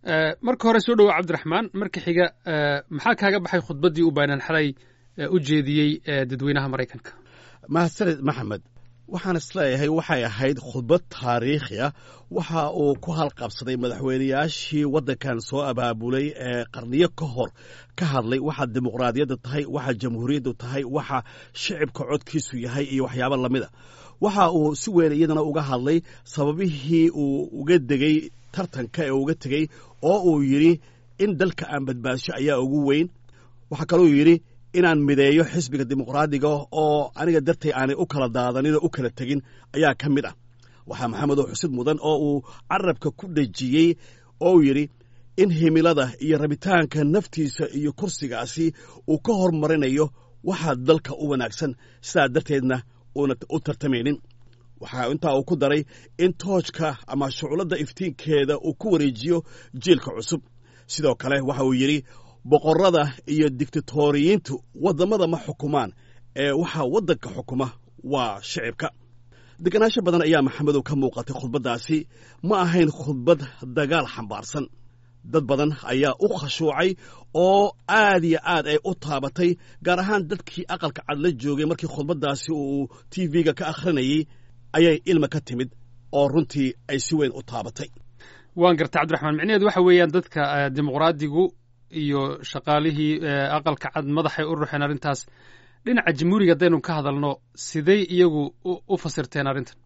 Marka hore soo dhowo, Cabdiraxmaan. Marka xiga, maxaa kaaga baxay khudbaddii uu Biden xalay u jeediyey dadweynaha Maraykanka? Mahadsaned, Maxamed. Waxaan isleeyahay waxay ahayd khudbad taariikhi ah. Waxa uu ku halqabsaday madaxweynayaashii waddankan soo abaabulay ee qarniyo ka hor ka hadlay waxa dimuqraadiyadda tahay, waxa jamhuuriyaddu tahay, waxa shicibka codkiisu yahay iyo waxyaabo lamida. Waxa uu si weyn iyadana uga hadlay sababihii uu uga degay tartanka ee uga tegey, oo uu yidhi in dalka aan badbaadsho ayaa ugu weyn. Waxaa kaluu yidhi inaan mideeyo xisbiga Dimuqraadiga oo aniga dartay aanay u kala daadanin oo u kala tegin ayaa ka mid ah. Waxaa, Maxamedow, xusid mudan oo uu carabka ku dhejiyey oo uu yidhi in himilada iyo rabitaanka naftiisa iyo kursigaasi uu ka hormarinayo waxaa dalka u wanaagsan, sidaa darteedna uuna u tartamaynin. Waxaa intaa uu ku daray in toojka ama shuculadda iftiinkeeda uu ku wareejiyo jiilka cusub. Sidoo kale waxa uu yidhi boqorrada iyo digtatoriyiintu waddamada ma xukumaan, ee waxaa waddanka xukuma waa shicibka. Deganaansho badan ayaa, Maxamedow, ka muuqatay khudbaddaasi. Ma ahayn khudbad dagaal xambaarsan. Dad badan ayaa u khashuucay oo aad iyo aad ay u taabatay, gaar ahaan dadkii Aqalka Cad la joogay. Markii khudbaddaasi uu TV-ga ka akhrinayey ayay ilma ka timid oo runtii ay si weyn u taabatay. Waan gartay, Cabdiraxmaan. Micnaheedu waxa weeyaan dadka Dimuqraadigu iyo shaqaalihii Aqalka Cad madaxay u ruxeen arrintaas. Dhinaca Jamhuuriga haddaynu ka hadalno, sidey iyagu u fasirteen arrintan?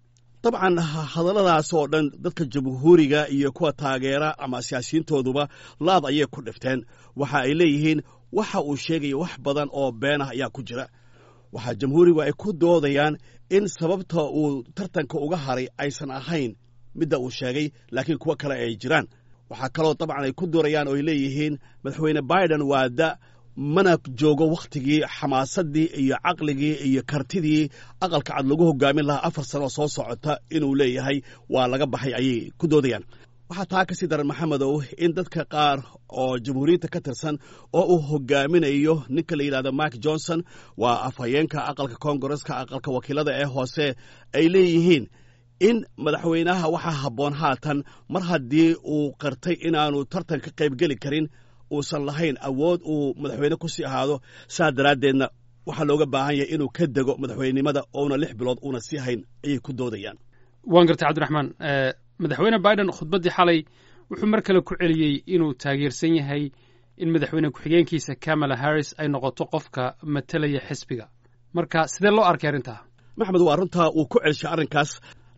Dabcan, hadalladaas oo dhan dadka Jamhuuriga iyo kuwa taageera ama siyaasiyiintooduba laad ayay ku dhifteen. Waxa ay leeyihiin waxa uu sheegaya wax badan oo been ah ayaa ku jira. Waxaa Jamhuurigu ay ku doodayaan in sababta uu tartanka uga haray aysan ahayn midda uu sheegay, laakiin kuwo kale ay jiraan. Waxaa kaloo dabcan ay ku doorayaan oo ay leeyihiin Madaxweyne Biden waa da, mana joogo wakhtigii xamaasaddii iyo caqligii iyo kartidii Aqalka Cad lagu hogaamin lahaa 4 sano oo soo socota inuu leeyahay waa laga baxay, ayay ku doodayaan. Waxaa taa ka sii daran, Maxamedow, in dadka qaar oo Jamhuuriyadda ka tirsan oo uu hogaaminayo ninka la yidhahdo Mike Johnson, waa afhayeenka aqalka Koongareska, aqalka wakiilada ee hoose, ay leeyihiin in madaxweynaha waxaa habboon haatan, mar haddii uu qirtay inaanu tartan ka qaybgeli karin, uusan lahayn awood uu madaxweyne ku sii ahaado, saa daraaddeedna waxaa looga baahan yahay inuu ka dego madaxweynenimada oona 6 bilood uuna sii hayn, ayay ku doodayaan. Waan gartay, Cabdiraxmaan. Madaxweyne Biden khudbaddii xalay wuxuu mar kale ku celiyey inuu taageersan yahay in madaxweyne ku-xigeenkiisa Kamala Harris ay noqoto qofka matalaya xisbiga. Marka sidee loo arkay arrintaa? Maxamed, waa runtaa, uu ku celshay arrinkaas,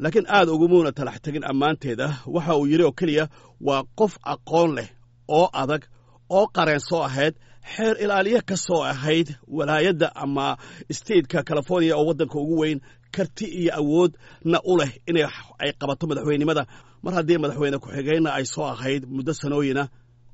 laakiin aad ugumuuna talax tegin ammaanteeda. Waxa uu yidhi oo keliya waa qof aqoon leh oo adag oo qareen soo ahayd, xeer ilaaliye ka soo ahayd walaayadda ama stateka California oo waddanka ugu weyn, karti iyo awoodna u leh inay ay qabato madaxweynenimada, mar haddii madaxweyne ku-xigeenna ay soo ahayd muddo sanooyina,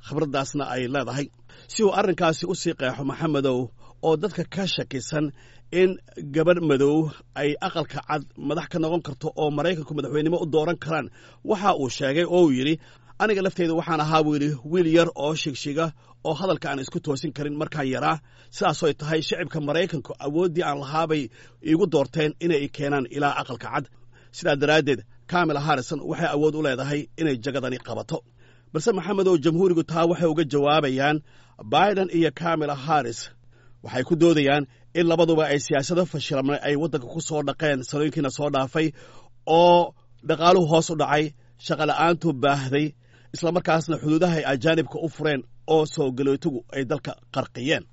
khibraddaasna ay leedahay. Si uu arrinkaasi u sii qeexo, Maxamedow, oo dadka ka shakisan in gabadh madow ay Aqalka Cad madax ka noqon karto oo Maraykanku madaxweynenimo u dooran karaan, waxa uu sheegay oo uu yidhi aniga lafteyda waxaan ahaa, buu yidhi, wiil yar oo shigshiga oo hadalka aan isku toosin karin markaan yaraa. Sidaasoy tahay, shicibka Maraykanku awooddii aan lahaabay iigu doorteen inay i keenaan ilaa Aqalka Cad. Sidaa daraaddeed Kamala Harrison waxay awood u leedahay inay jagadani qabato. Balse, Maxamedow, Jamhuurigu taa waxay uga jawaabayaan Biden iyo Kamala Harris. Waxay ku doodayaan in labaduba ay siyaasado fashilmay ay waddanka ku soo dhaqeen sanooyinkiina soo dhaafay, oo dhaqaaluhu hoos u dhacay, shaqola'aantu baahday, islamarkaasna xuduudaha ay ajaanibka u fureen oo soo galootigu ay dalka qarqiyeen.